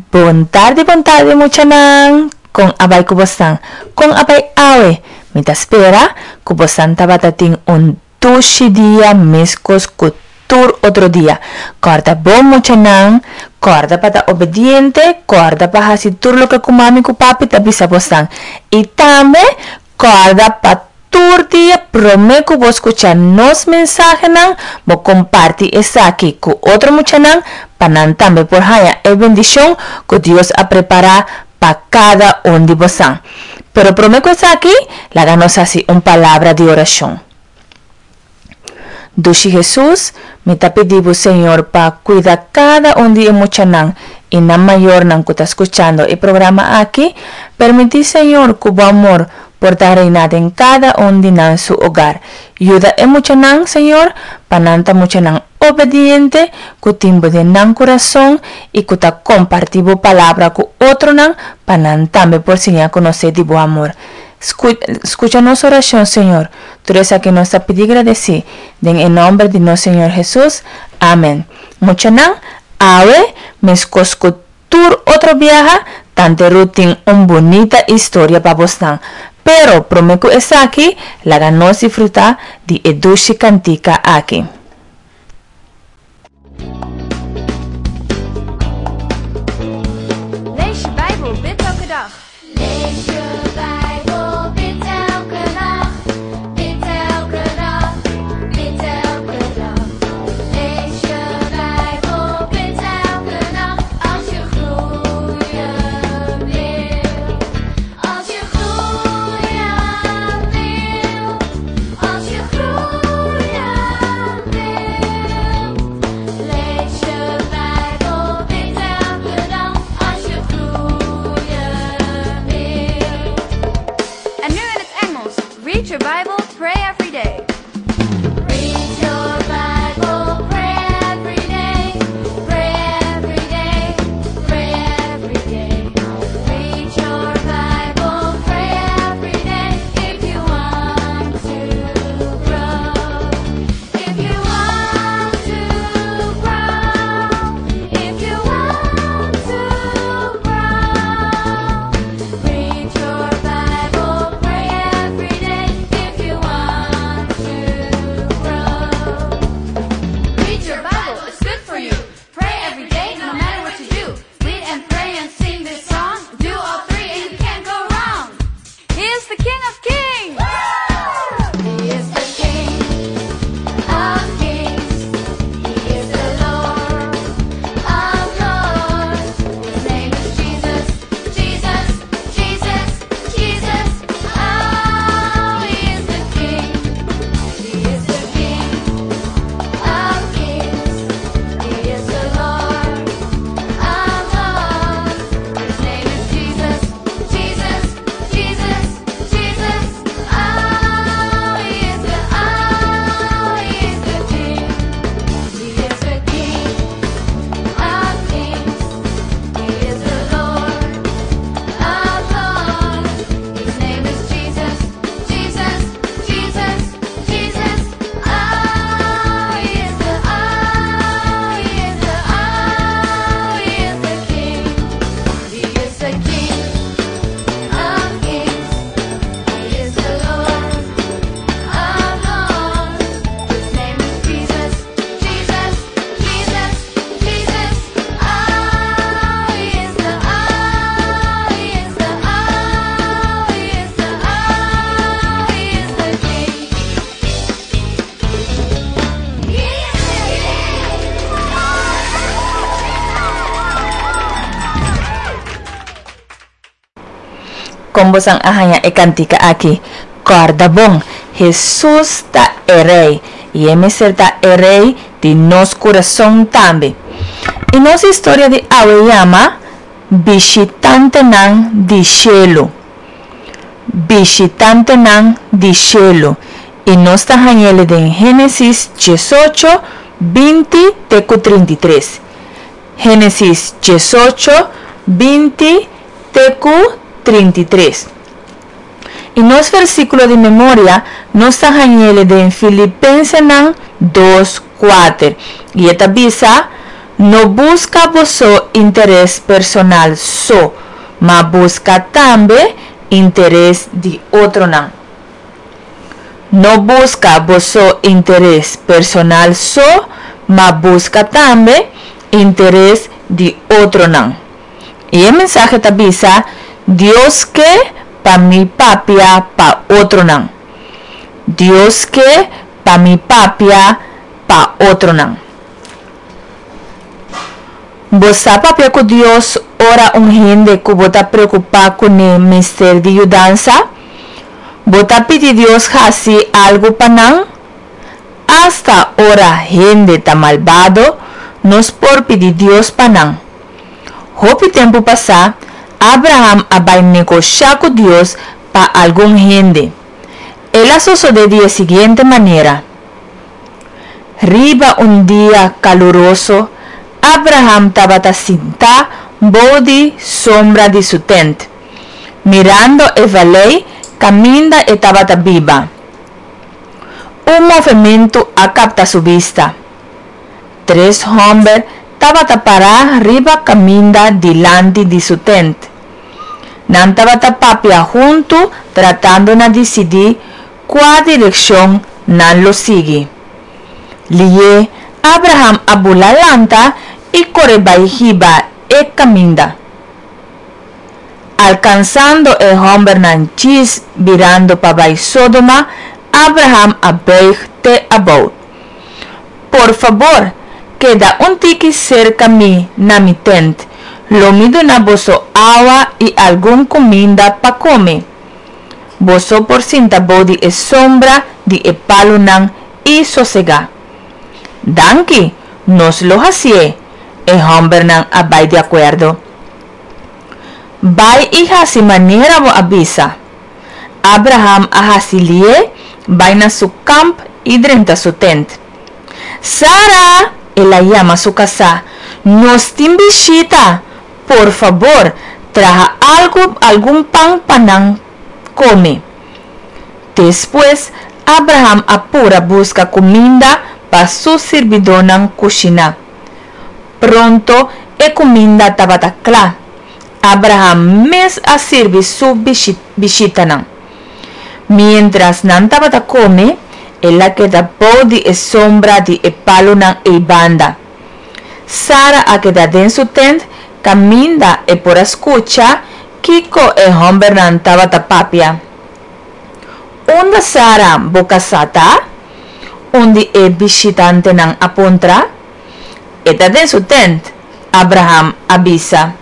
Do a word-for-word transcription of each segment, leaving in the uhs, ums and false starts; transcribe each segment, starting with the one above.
Bon tardi, bon tardi muchanan. Kon a bai ku bosan? Kon a bai awe? Mi ta spera ku bosan tabata tin un dushi dia meskos ku tur otro dia. Kòrda bon muchanan, kòrda pa ta obediente, kòrda pa hasi tur loke ku mami ku papi ta bisa bosan. I tambe kòrda pa tur dia promé ku bo skucha nos mensahenan, bo kompartí esaki ku otro muchanan pa nan tambe por haña e bendishon ku Dios a prepará pa kada un di bosan. Pero promé ku esaki, laga nos hasi un palabra di orashon. Dushi Hesus, mi ta pidi bo Señor pa kuida kada un di e muchanan i nan mayornan ku ta skuchando e programa aki. Permití Señor ku bo amor por ta reina den kada un di nan su hogar. Yuda e muchanan, Señor, pa nan ta muchanan obediente, ku tin bo den nan kurason i ku ta kompartí bo palabra ku otronan pa nan tambe por siña konosé di bo amor. Skucha nos orashon, Señor. Tur esaki nos ta pidi gradesí den e nòmber di nos Señor Hesus. Amèn. Muchanan, awe, meskos ku tur otro biaha, Tante Ruth tin un bunita historia pa bosnan. Pero promé ku esaki, laga nos disfrutá di e dushi kantika aki. Lees je Bijbel, bid elke dag. Lees je Bijbel, bid elke nacht. Bid elke dag, bid elke dag. Lees je Bijbel, bid elke nacht. Als je groeien wil. Als je groeien wil. Als je groeien wil. Lees je Bijbel, bid elke dag. Als je groeien wil. En nu in het Engels. Read your Bible, pray every day. Read your Bible, pray every day, pray every day, pray every day. Read your Bible, pray every day if you want to grow. If you want to grow, if you want to grow. Read your Bible, pray every day if you want to grow. Read your Bible, it's good for you. Pray every day, no matter what you do. Read and pray and sing this song. Do all three and you can't go wrong. He is the King of Kings. He is the King of Kings. He is the Lord of Lords. His name is Jesus, Jesus, Jesus, Jesus. Oh, he is the King. He is the King of Kings. He is the Lord of Lords. His name is Jesus, Jesus, Jesus, Jesus. Oh, he is the, oh, he is the King. He is the King of Kings. He is the Lord of Lords. His name is Jesus, Jesus, Jesus, Jesus. Oh, he is the, oh, he is the, oh, he is the King. He is the King of Kings. He is the Lord of Lords. His name is Jesus, Jesus, Jesus, Jesus. Oh, he is the, oh, he is the, oh, he is the, oh, he is the King. He is the King. Kon bosan a haña e kantika aki? Kòrda bon, Hesus ta e Rei i e mester ta e Rei di nos kurason tambe. I nos historia di awe yama Bishitantenan di Shelu. Bishitantenan di Shelu. I nos ta hañ'ele den Génesis diesocho, binti te ku trinta i tres. Génesis diesocho, binti te ku trinta i tres. I nos versíkulo di memoria nos ta hañ'ele den Filipensenan dos, kuater. I e ta bisa, No buska boso interes personal so, ma buska tambe interes di otronan. No buska boso interes personal so, ma buska tambe interes di otronan. I e mensahe ta bisa, Dios ke pa mi papia pa otronan. Dios ke pa mi papia pa otronan. Bo sa papia ku Dios ora un hende ku bo ta preokupá kuné mester di yudansa? Bo ta pidi Dios hasi algu pa nan? Asta ora hende ta malbado, nos por pidi Dios pa nan. Hopi tempu pasá, Abraham a bai negoshá ku Dios pa algun hende. El a sosodé di e siguiente manera. Riba un dia kaluroso, Abraham tabata sintá bou di sombra di su tènt, mirando e valei kaminda e tabata biba. Un movementu a kapta su bista. Tres hòmber tabata pará riba kaminda dilanti di su tènt. Nan tabata papia huntu tratando na disidí kua direkshon nan lo sigui. Lihé Abraham a bula lanta i kore bai hiba e kaminda. Alkansando e hòmbernan djis birando pa bai Sodoma, Abraham a bùig te abou. Por fabor, keda un tiki serka mi na mi tènt, lo mi duna boso awa i algun kuminda pa kome. Boso por sinta bou di e sombra di e palunan i sosegá. Danki, nos lo hasié, e hòmbernan a bai di akuerdo. Bai i hasi manera bo a bisa. Abraham a hasi lié bai na su kamp i drenta su tènt. Sara! El a yama su kasá, nos tin bishita! Por fabor, traha algu algun pan pa nan kome. Despues, Abraham a pura buska kuminda pa su sirbidónan kushiná. Pronto e kuminda tabata kla. Abraham mes a sirbi su bishitanan. Miéntras nan tabata kome, el a keda bou di e sombra di e palunan eibanda. Sara a keda den su tènt kaminda e por a skucha kiko e hòmbernan tabata papia. Unda Sara bo kasá ta? Un di e bishitantenan a puntra. E ta den su tènt, Abraham a bisa.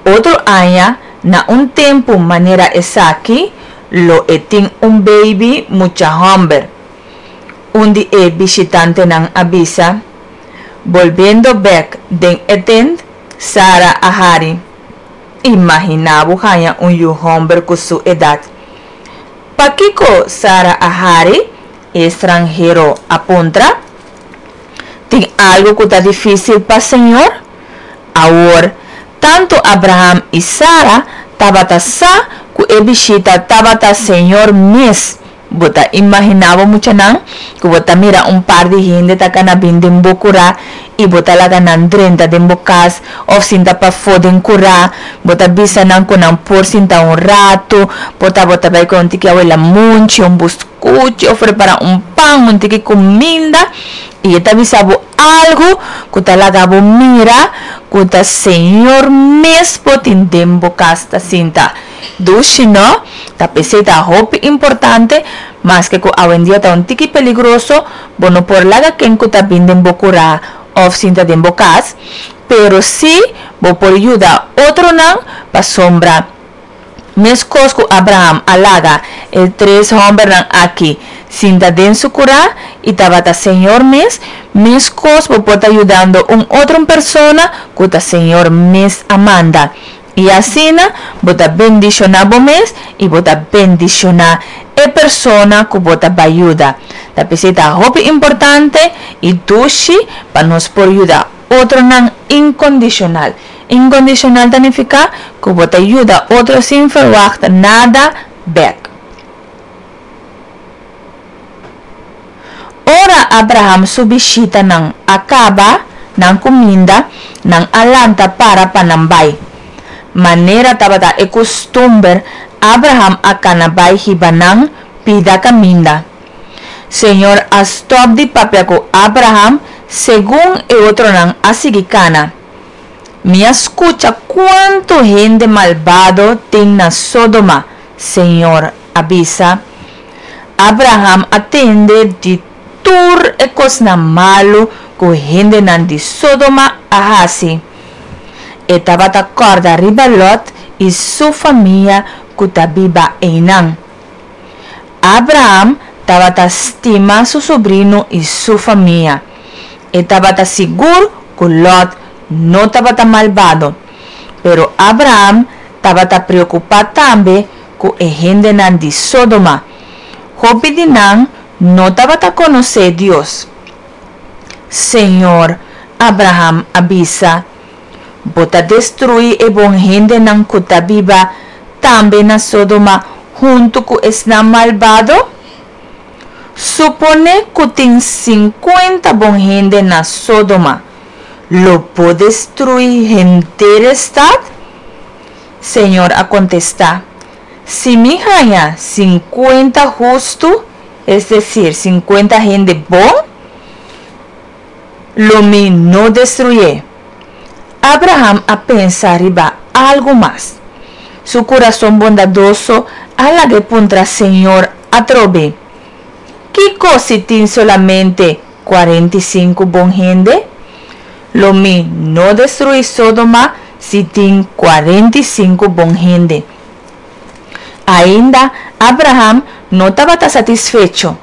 Otro aña, na un tempu manera esaki, lo e tin un beibi mucha hòmber, un di e bishitantenan a bisa. Bolbiendo bèk den e tènt, Sara a hari. Imaginá bo haña un yu hòmber ku su edat. Pakiko Sara a hari? E stranhero a puntra. Tin algu ku ta difísil pa Señor? Awor, tantu Abraham i Sara tabata sa ku e bishita tabata Señor mes. Bo ta imaginá bo, muchanan, ku bo ta mira un par di hende ta kana bin den bo kurá i bo ta laga nan drenta den bo kas òf sinta pafó den kurá, bo ta bisa nan ku nan por sinta un ratu, por ta bo ta bai ku un tiki awe lamunchi, un buskuchi òf prepará un pan, un tiki kuminda i e ta bisa bo algu ku ta laga bo mira ku ta Señor mes bo tin den bo kas ta sinta. Dushi no? Ta p'esei ta hopi importante, maske ku awendia ta un tiki peligroso, bo no por laga ken ku ta bin den bo kurá òf sinta den bo kas, pero sí bo por yuda otronan pasobra meskos ku Abraham a laga e tres hòmbernan aki sinta den su kurá i tabata Señor mes, meskos bo por ta yudando un otro persona ku ta Señor mes a manda. I asina bo ta bendishoná bo mes i bo ta bendishoná e persona ku bo ta bai yuda. Ta p'esei ta hopi importante i dushi pa nos por yuda otronan inkondishonal. Inkondishonal ta nifiká ku bo ta yuda otro sin ferwagt nada bèk. Ora Abraham su bishitanan a kaba, nan kuminda, nan a lanta para pa nan bai. Manera tabata e kustumber, Abraham a kana bai hiba nan pida kaminda. Señor a stòp di papia ku Abraham segun e otronan a sigui kana. Mi a skucha kuantu hende malbado tin na Sodoma, Señor a bisa. Abraham a tende di tur e kosnan malu ku hendenan di Sodoma a hasi. E tabata kòrda riba Lòt i su famia ku ta biba einan. Abraham tabata stima su sobrino i su famia. E tabata sigur ku Lòt no tabata malbado. Pero Abraham tabata preokupá tambe ku e hendenan di Sodoma. Hopi di nan no tabata konosé Dios. Señor, Abraham a bisa, bo ta destruí e bon hendenan ku ta biba tambe na Sodoma huntu ku esnan malbado? Suponé ku tin sinkuenta bon hende na Sodoma, lo bo destruí henter e stat? Señor a kontestá, Si mi haña sinkuenta hustu, es desir, sinkuenta hende bon, lo mi no destruyé. Abraham a pensa riba algu mas. Su kurason bondadoso a lag'é puntra Señor atrobe, Kiko si tin solamente kuarenta i sinku bon hende? Lo mi no destruí Sodoma si tin kuarenta i sinku bon hende. Ainda Abraham no tabata satisfecho.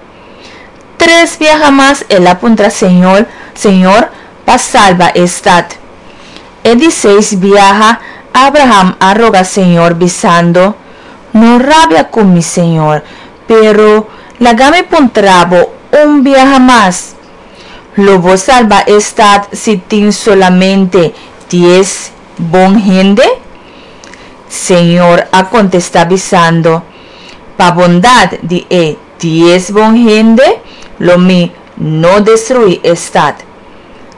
Tres biaha mas el a puntra Señor, Señor pa salba e stat. E di seis biaha Abraham a roga Señor bisando, No rabia ku mi, Señor, pero laga mi puntra bo un biaha mas. Lo bo salba e stat si tin solamente dies bon hende? Señor a kontestá bisando, Pa bondat di e dies bon hende lo mi no destruí e stat.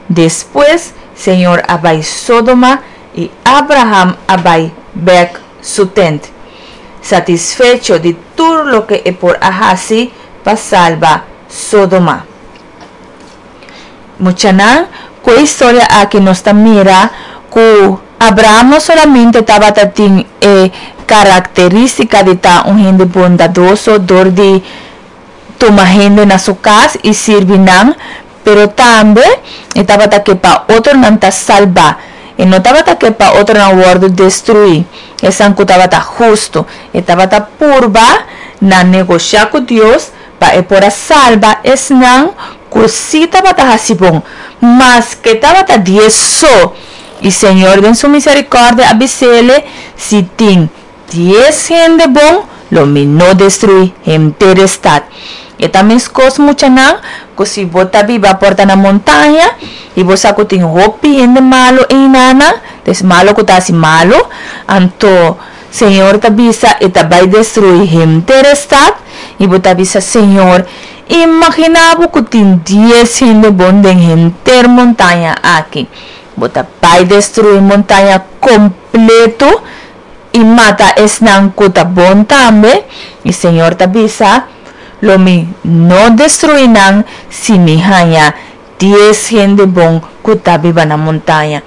Despues Señor a bai Sodoma i Abraham a bai bèk su tènt, satisfecho di tur loke e por a hasi pa salba Sodoma. Muchanan, ku e historia aki nos ta mira ku Abraham no solamente tabata tin e karakterístika di ta un hende bondadoso dor di tuma hende na su kas i sirbi nan, pero tambe e tabata ke pa otronan ta salbá. E no tabata ke pa otronan wòrdu destruí, esnan ku tabata hustu. E tabata purba na negoshá ku Dios pa e por a salba esnan ku sí tabata hasi bon, maske tabata dies so. I Señor den su miserikòrdia a bis'ele, Si tin dies hende bon, lo mi no destruí henter e stat. E ta meskos, muchanan, ku si bo ta biba por ta na montaña i bo sa ku tin hopi hende malu einanan, des malu ku ta hasi malu, anto Señor ta bisa e ta bai destruí henter e stat, i bo ta bisa, Señor, imaginá bo ku tin dies hende bon den henter montaña aki. Bo ta bai destruí montaña kompletu i mata esnan ku ta bon tambe? I Señor ta bisa, Lo mi no destruí nan si mi haña dies hende bon ku ta biba na montaña.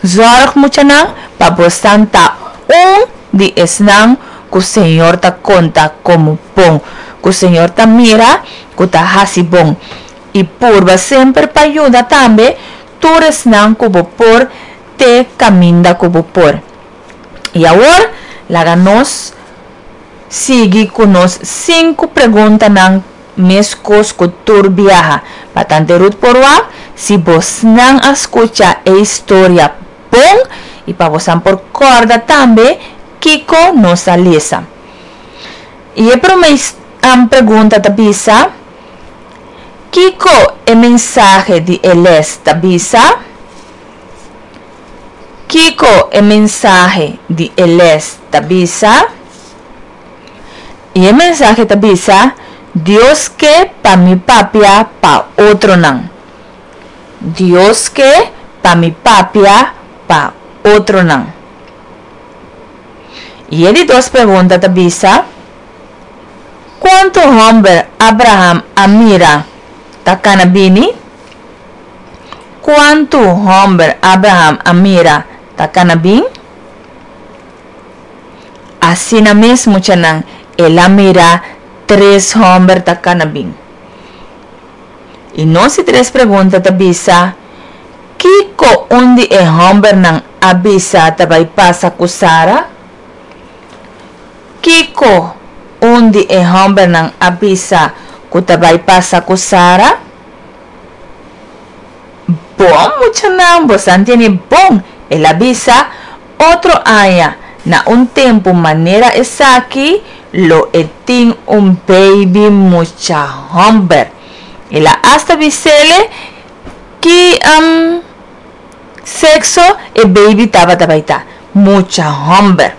Zòrg, muchanan, pa bosan ta un di esnan ku Señor ta konta komo bon, ku Señor ta mira ku ta hasi bon. I purba semper pa yuda tambe tur esnan ku bo por te kaminda ku bo por. I awor, laga nos sigui ku nos sinku preguntanan meskos ku tur biaha. Pa Tante Ruth por wak si bosnan a skucha e historia bon i pa bosan por kòrda tambe kiko nos a lesa. I e promé pregunta ta bisa, Kiko e mensahe di e lès ta bisa? Kiko e mensahe di e lès ta bisa? I e mensahe ta bisa, Dios ke pa mi papia pa otronan. Dios ke Pa mi papia pa otronan. I e di dos pregunta ta bisa: Kuantu hòmber Abraham a mira ta kana bini? Kuantu hòmber Abraham a mira ta kana bin? Asina mes, muchanan, el a mira tres hòmber ta kana bin. I nos di tres pregunta ta bisa: Kiko un di e hòmbernan a bisa ta bai pasa ku Sara? Kiko un di e hòmbernan a bisa ku ta bai pasa ku Sara? Bon, muchanan, boso a tende bon. El a bisa: otro aña, na un tempu manera esaki, lo e tin un baby mucha hòmber. El a asta bis'é ki un, sekso e baby tabata bai ta, mucha hòmber.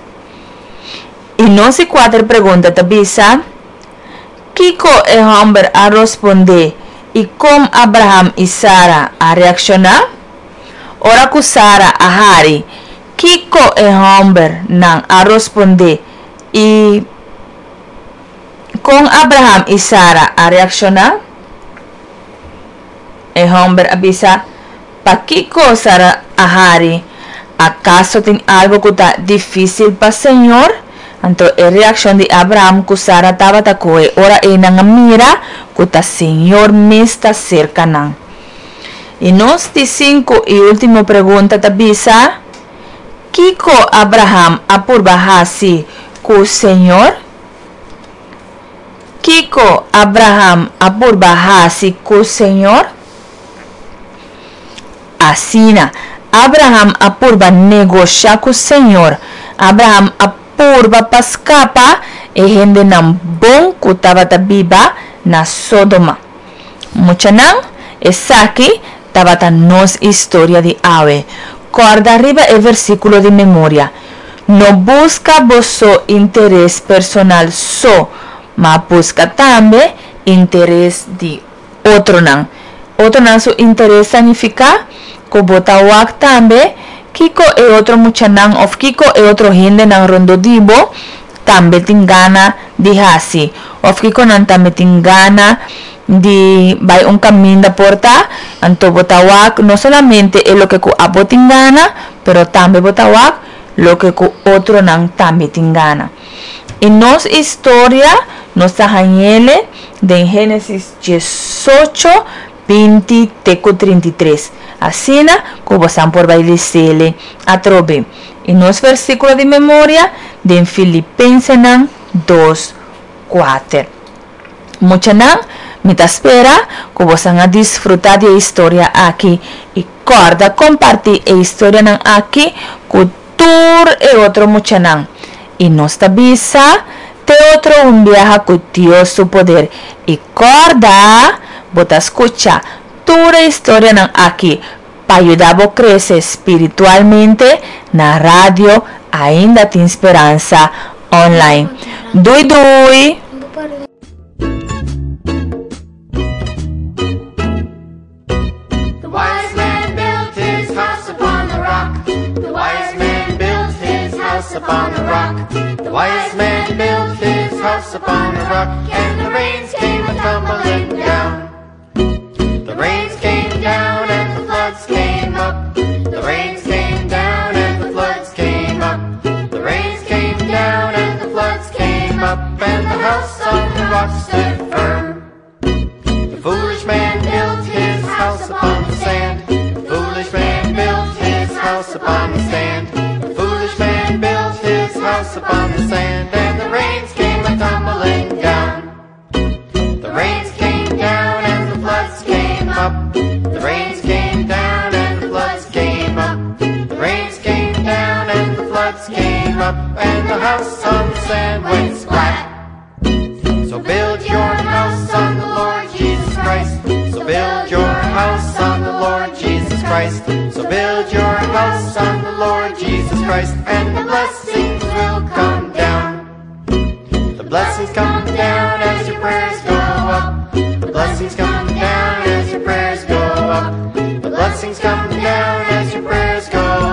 I nos di kuater pregunta ta bisa: Kiko e hòmber a rospondé i kon Abraham i Sara a reakshoná? Ora ku Sara a hari, kiko e hòmbernan a rospondé i kon Abraham i Sara a reakshoná? E hòmber a bisa: Pakiko Sara a hari? Akaso tin algu ku ta difísil pa Señor? Anto e reakshon di Abraham ku Sara tabata koe ora e nan a mira ku ta Señor mes ta serka nan. I nos di sinku i último pregunta ta bisa: Kiko Abraham a purba hasi ku Señor? Kiko Abraham a purba hasi ku Señor? Asina, Abraham a purba negoshá ku Señor. Abraham a purba pa skapa e hendenan bon ku tabata biba na Sodoma. Muchanan, esaki tabata nos historia di awe. Kòrda riba e versíkulo di memoria. No buska boso interes personal so, ma buska tambe interes di otronan. Otronan su interes ta nifiká ku bo ta wak tambe kiko e otro muchanan òf kiko e otro hendenan rondó di bo tambe tin gana di hasi. Òf kiko nan tambe tin gana di bai un kaminda por ta, anto bo ta wak no solamente e loke ku abo tin gana, pero tambe bo ta wak loke ku otronan tambe tin gana. I nos historia nos ta hañ'é den Génesis diesocho, binti te ku trinta i tres. Asina ku bo por bai les'é atrobe. I nos versíkulo di memoria den Filipensenan dos, kuater. Muchanan, mi ta spera ku boso a disfrutá di e historia aki i kòrda kompartí e historianan aki ku tur e otro muchanan. I nos ta bisa te otro un biaha ku Dios su poder. I kòrda, bo ta skucha tur e historianan aki pa yuda bo krese spiritualmente na radio Ainda Tin Speransa online. Doei doei! The wise man built his house upon the rock. The wise man built his house upon the rock. The wise man built his house upon the rock, and the rains came a tumbling down. The rains came down and the floods came up. The rains came down and the floods came up. The rains came down and the floods came up, and the house on the rock stood firm. The foolish man built his house upon the sand. The foolish man built his house upon the sand. The foolish man built his house upon the sand, and the rains came a tumbling down. The rains came down and the floods came up. The rains came down and the floods came up. The rains came down and the floods came up, and the house on the sand went splat. So build your house on the Lord Jesus Christ. So build your house on the Lord Jesus Christ. So build your house on the Lord Jesus Christ, and the blessings will come down. The blessings come down as your prayers go up. The blessings come down as your prayers go up. The blessings come down as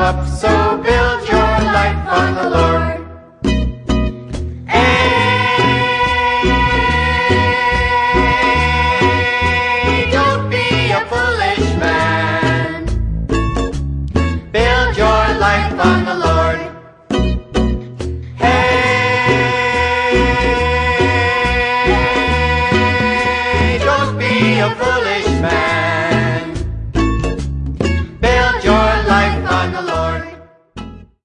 up. So build your life on the Lord. Hey, don't be a foolish man. Build your life on the Lord. Hey, don't be a foolish man.